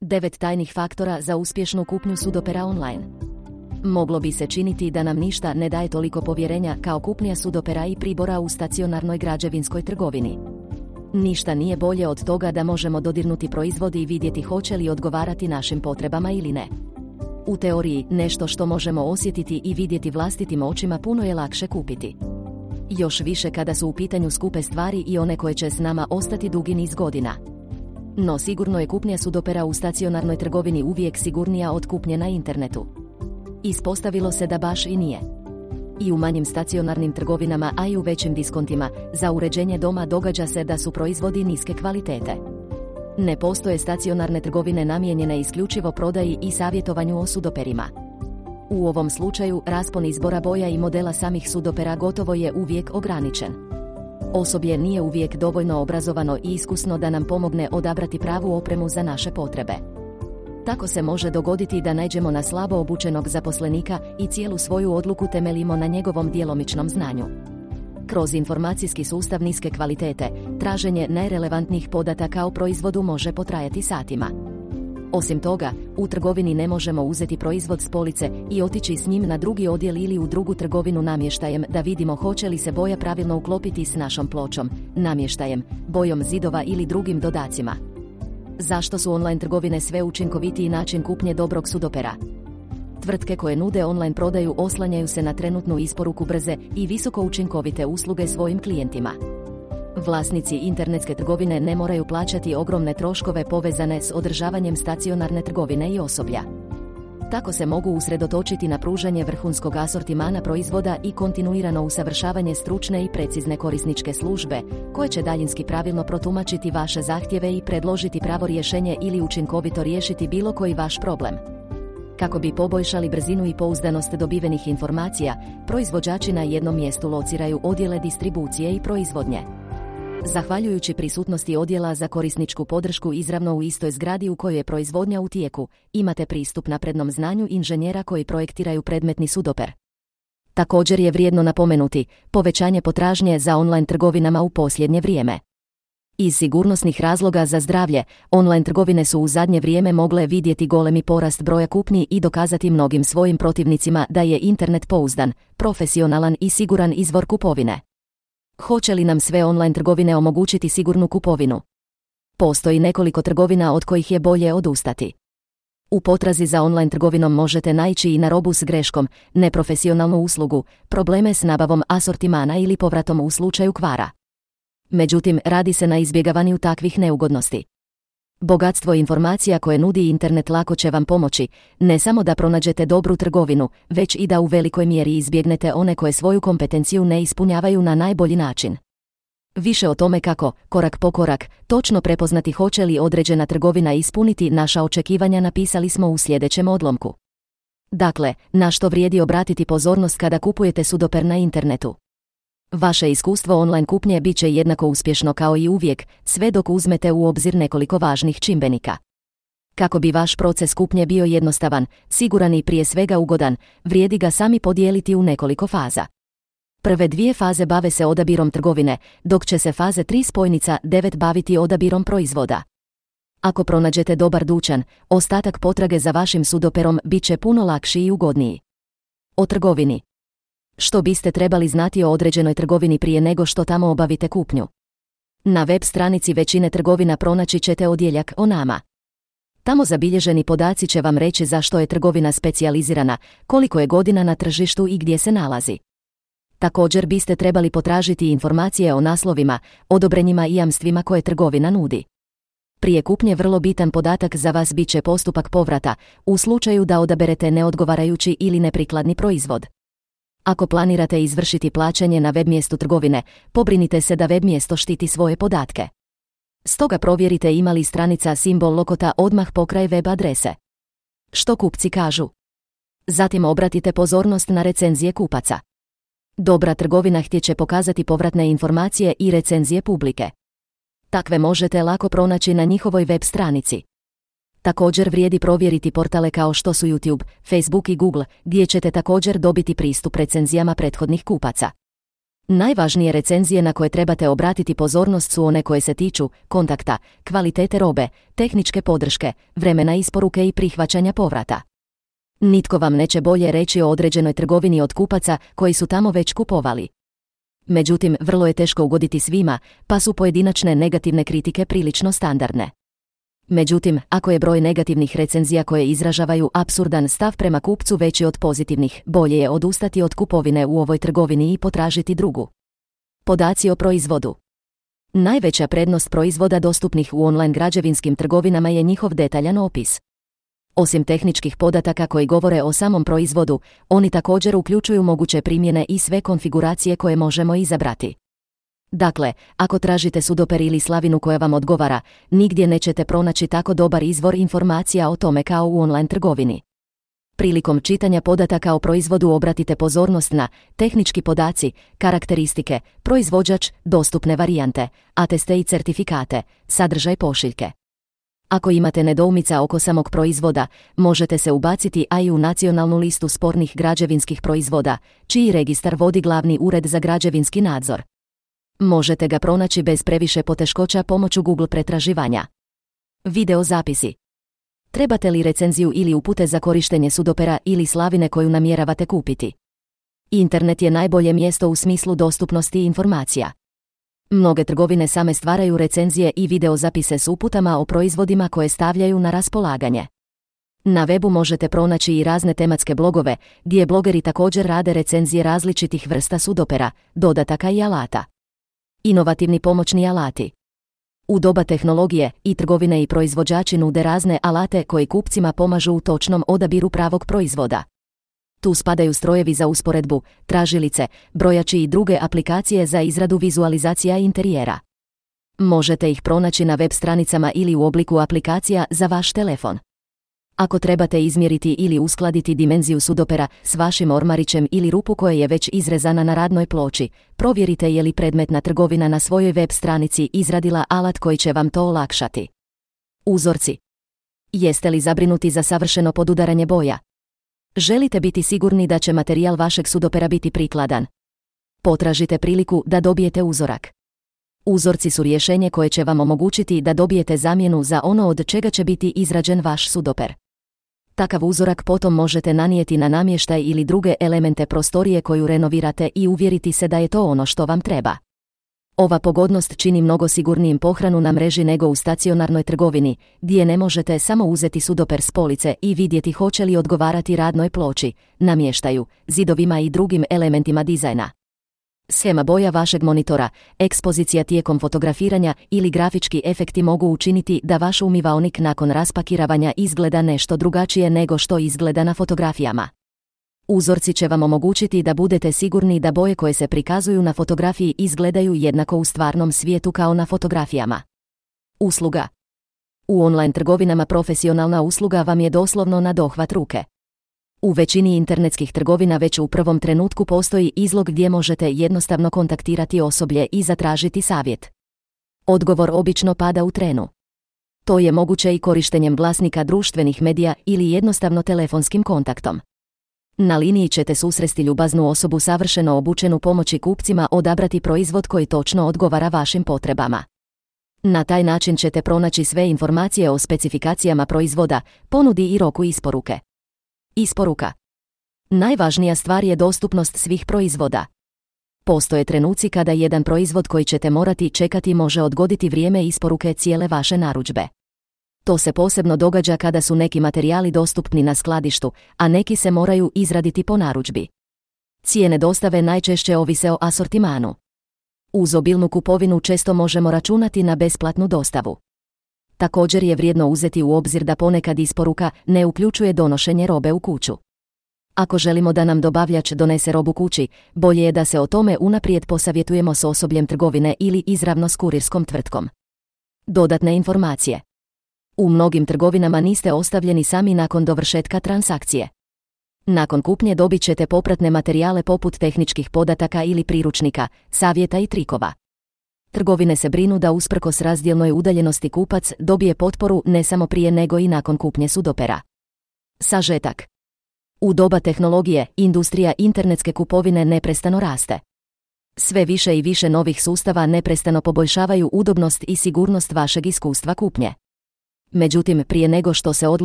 9 tajnih faktora za uspješnu kupnju sudopera online. Moglo bi se činiti da nam ništa ne daje toliko povjerenja kao kupnja sudopera i pribora u stacionarnoj građevinskoj trgovini. Ništa nije bolje od toga da možemo dodirnuti proizvod i vidjeti hoće li odgovarati našim potrebama ili ne. U teoriji, nešto što možemo osjetiti i vidjeti vlastitim očima puno je lakše kupiti. Još više kada su u pitanju skupe stvari i one koje će s nama ostati dugi niz godina. No sigurno je kupnja sudopera u stacionarnoj trgovini uvijek sigurnija od kupnje na internetu. Ispostavilo se da baš i nije. I u manjim stacionarnim trgovinama, a i u većim diskontima, za uređenje doma događa se da su proizvodi niske kvalitete. Ne postoje stacionarne trgovine namijenjene isključivo prodaji i savjetovanju o sudoperima. U ovom slučaju, raspon izbora boja i modela samih sudopera gotovo je uvijek ograničen. Osoblje nije uvijek dovoljno obrazovano i iskusno da nam pomogne odabrati pravu opremu za naše potrebe. Tako se može dogoditi da naiđemo na slabo obučenog zaposlenika i cijelu svoju odluku temeljimo na njegovom djelomičnom znanju. Kroz informacijski sustav niske kvalitete, traženje najrelevantnijih podataka o proizvodu može potrajati satima. Osim toga, u trgovini ne možemo uzeti proizvod s police i otići s njim na drugi odjel ili u drugu trgovinu namještajem da vidimo hoće li se boja pravilno uklopiti s našom pločom, namještajem, bojom zidova ili drugim dodacima. Zašto su online trgovine sve učinkovitiji način kupnje dobrog sudopera? Tvrtke koje nude online prodaju oslanjaju se na trenutnu isporuku brze i visoko učinkovite usluge svojim klijentima. Vlasnici internetske trgovine ne moraju plaćati ogromne troškove povezane s održavanjem stacionarne trgovine i osoblja. Tako se mogu usredotočiti na pružanje vrhunskog asortimana proizvoda i kontinuirano usavršavanje stručne i precizne korisničke službe, koje će daljinski pravilno protumačiti vaše zahtjeve i predložiti pravo rješenje ili učinkovito riješiti bilo koji vaš problem. Kako bi poboljšali brzinu i pouzdanost dobivenih informacija, proizvođači na jednom mjestu lociraju odjele distribucije i proizvodnje. Zahvaljujući prisutnosti odjela za korisničku podršku izravno u istoj zgradi u kojoj je proizvodnja u tijeku, imate pristup naprednom znanju inženjera koji projektiraju predmetni sudoper. Također je vrijedno napomenuti povećanje potražnje za online trgovinama u posljednje vrijeme. Iz sigurnosnih razloga za zdravlje, online trgovine su u zadnje vrijeme mogle vidjeti golemi porast broja kupnji i dokazati mnogim svojim protivnicima da je internet pouzdan, profesionalan i siguran izvor kupovine. Hoće li nam sve online trgovine omogućiti sigurnu kupovinu? Postoji nekoliko trgovina od kojih je bolje odustati. U potrazi za online trgovinom možete naići i na robu s greškom, neprofesionalnu uslugu, probleme s nabavom asortimana ili povratom u slučaju kvara. Međutim, radi se na izbjegavanju takvih neugodnosti. Bogatstvo informacija koje nudi internet lako će vam pomoći, ne samo da pronađete dobru trgovinu, već i da u velikoj mjeri izbjegnete one koje svoju kompetenciju ne ispunjavaju na najbolji način. Više o tome kako, korak po korak, točno prepoznati hoće li određena trgovina ispuniti naša očekivanja napisali smo u sljedećem odlomku. Dakle, na što vrijedi obratiti pozornost kada kupujete sudoper na internetu? Vaše iskustvo online kupnje bit će jednako uspješno kao i uvijek, sve dok uzmete u obzir nekoliko važnih čimbenika. Kako bi vaš proces kupnje bio jednostavan, siguran i prije svega ugodan, vrijedi ga sami podijeliti u nekoliko faza. Prve 2 faze bave se odabirom trgovine, dok će se faze 3 spojnica 9 baviti odabirom proizvoda. Ako pronađete dobar dućan, ostatak potrage za vašim sudoperom bit će puno lakši i ugodniji. O trgovini. Što biste trebali znati o određenoj trgovini prije nego što tamo obavite kupnju? Na web stranici većine trgovina pronaći ćete odjeljak o nama. Tamo zabilježeni podaci će vam reći zašto je trgovina specijalizirana, koliko je godina na tržištu i gdje se nalazi. Također biste trebali potražiti informacije o naslovima, odobrenjima i jamstvima koje trgovina nudi. Prije kupnje vrlo bitan podatak za vas bit će postupak povrata, u slučaju da odaberete neodgovarajući ili neprikladni proizvod. Ako planirate izvršiti plaćanje na web mjestu trgovine, pobrinite se da web mjesto štiti svoje podatke. Stoga provjerite ima li stranica simbol lokota odmah pokraj web adrese. Što kupci kažu? Zatim obratite pozornost na recenzije kupaca. Dobra trgovina htjeće pokazati povratne informacije i recenzije publike. Takve možete lako pronaći na njihovoj web stranici. Također vrijedi provjeriti portale kao što su YouTube, Facebook i Google, gdje ćete također dobiti pristup recenzijama prethodnih kupaca. Najvažnije recenzije na koje trebate obratiti pozornost su one koje se tiču kontakta, kvalitete robe, tehničke podrške, vremena isporuke i prihvaćanja povrata. Nitko vam neće bolje reći o određenoj trgovini od kupaca koji su tamo već kupovali. Međutim, vrlo je teško ugoditi svima, pa su pojedinačne negativne kritike prilično standardne. Međutim, ako je broj negativnih recenzija koje izražavaju apsurdan stav prema kupcu veći od pozitivnih, bolje je odustati od kupovine u ovoj trgovini i potražiti drugu. Podaci o proizvodu. Najveća prednost proizvoda dostupnih u online građevinskim trgovinama je njihov detaljan opis. Osim tehničkih podataka koji govore o samom proizvodu, oni također uključuju moguće primjene i sve konfiguracije koje možemo izabrati. Dakle, ako tražite sudoper ili slavinu koja vam odgovara, nigdje nećete pronaći tako dobar izvor informacija o tome kao u online trgovini. Prilikom čitanja podataka o proizvodu obratite pozornost na tehnički podaci, karakteristike, proizvođač, dostupne varijante, ateste i certifikate, sadržaj pošiljke. Ako imate nedoumica oko samog proizvoda, možete se ubaciti i u nacionalnu listu spornih građevinskih proizvoda, čiji registar vodi Glavni ured za građevinski nadzor. Možete ga pronaći bez previše poteškoća pomoću Google pretraživanja. Video zapisi. Trebate li recenziju ili upute za korištenje sudopera ili slavine koju namjeravate kupiti? Internet je najbolje mjesto u smislu dostupnosti informacija. Mnoge trgovine same stvaraju recenzije i video zapise s uputama o proizvodima koje stavljaju na raspolaganje. Na webu možete pronaći i razne tematske blogove, gdje blogeri također rade recenzije različitih vrsta sudopera, dodataka i alata. Inovativni pomoćni alati. U doba tehnologije i trgovine i proizvođači nude razne alate koji kupcima pomažu u točnom odabiru pravog proizvoda. Tu spadaju strojevi za usporedbu, tražilice, brojači i druge aplikacije za izradu vizualizacija interijera. Možete ih pronaći na web stranicama ili u obliku aplikacija za vaš telefon. Ako trebate izmjeriti ili uskladiti dimenziju sudopera s vašim ormarićem ili rupu koja je već izrezana na radnoj ploči, provjerite je li predmetna trgovina na svojoj web stranici izradila alat koji će vam to olakšati. Uzorci. Jeste li zabrinuti za savršeno podudaranje boja? Želite biti sigurni da će materijal vašeg sudopera biti prikladan? Potražite priliku da dobijete uzorak. Uzorci su rješenje koje će vam omogućiti da dobijete zamjenu za ono od čega će biti izrađen vaš sudoper. Takav uzorak potom možete nanijeti na namještaj ili druge elemente prostorije koju renovirate i uvjeriti se da je to ono što vam treba. Ova pogodnost čini mnogo sigurnijim pohranu na mreži nego u stacionarnoj trgovini, gdje ne možete samo uzeti sudoper s police i vidjeti hoće li odgovarati radnoj ploči, namještaju, zidovima i drugim elementima dizajna. Shema boja vašeg monitora, ekspozicija tijekom fotografiranja ili grafički efekti mogu učiniti da vaš umivaonik nakon raspakiravanja izgleda nešto drugačije nego što izgleda na fotografijama. Uzorci će vam omogućiti da budete sigurni da boje koje se prikazuju na fotografiji izgledaju jednako u stvarnom svijetu kao na fotografijama. Usluga. U online trgovinama profesionalna usluga vam je doslovno na dohvat ruke. U većini internetskih trgovina već u prvom trenutku postoji izlog gdje možete jednostavno kontaktirati osoblje i zatražiti savjet. Odgovor obično pada u trenu. To je moguće i korištenjem glasnika društvenih medija ili jednostavno telefonskim kontaktom. Na liniji ćete susresti ljubaznu osobu savršeno obučenu pomoći kupcima odabrati proizvod koji točno odgovara vašim potrebama. Na taj način ćete pronaći sve informacije o specifikacijama proizvoda, ponudi i roku isporuke. Isporuka. Najvažnija stvar je dostupnost svih proizvoda. Postoje trenuci kada jedan proizvod koji ćete morati čekati može odgoditi vrijeme isporuke cijele vaše narudžbe. To se posebno događa kada su neki materijali dostupni na skladištu, a neki se moraju izraditi po narudžbi. Cijene dostave najčešće ovise o asortimanu. Uz obilnu kupovinu često možemo računati na besplatnu dostavu. Također je vrijedno uzeti u obzir da ponekad isporuka ne uključuje donošenje robe u kuću. Ako želimo da nam dobavljač donese robu kući, bolje je da se o tome unaprijed posavjetujemo s osobljem trgovine ili izravno s kurirskom tvrtkom. Dodatne informacije. U mnogim trgovinama niste ostavljeni sami nakon dovršetka transakcije. Nakon kupnje dobit ćete popratne materijale poput tehničkih podataka ili priručnika, savjeta i trikova. Trgovine se brinu da usprkos razdjelnoj udaljenosti kupac dobije potporu ne samo prije nego i nakon kupnje sudopera. Sažetak. U doba tehnologije, industrija internetske kupovine neprestano raste. Sve više i više novih sustava neprestano poboljšavaju udobnost i sigurnost vašeg iskustva kupnje. Međutim, prije nego što se odlučite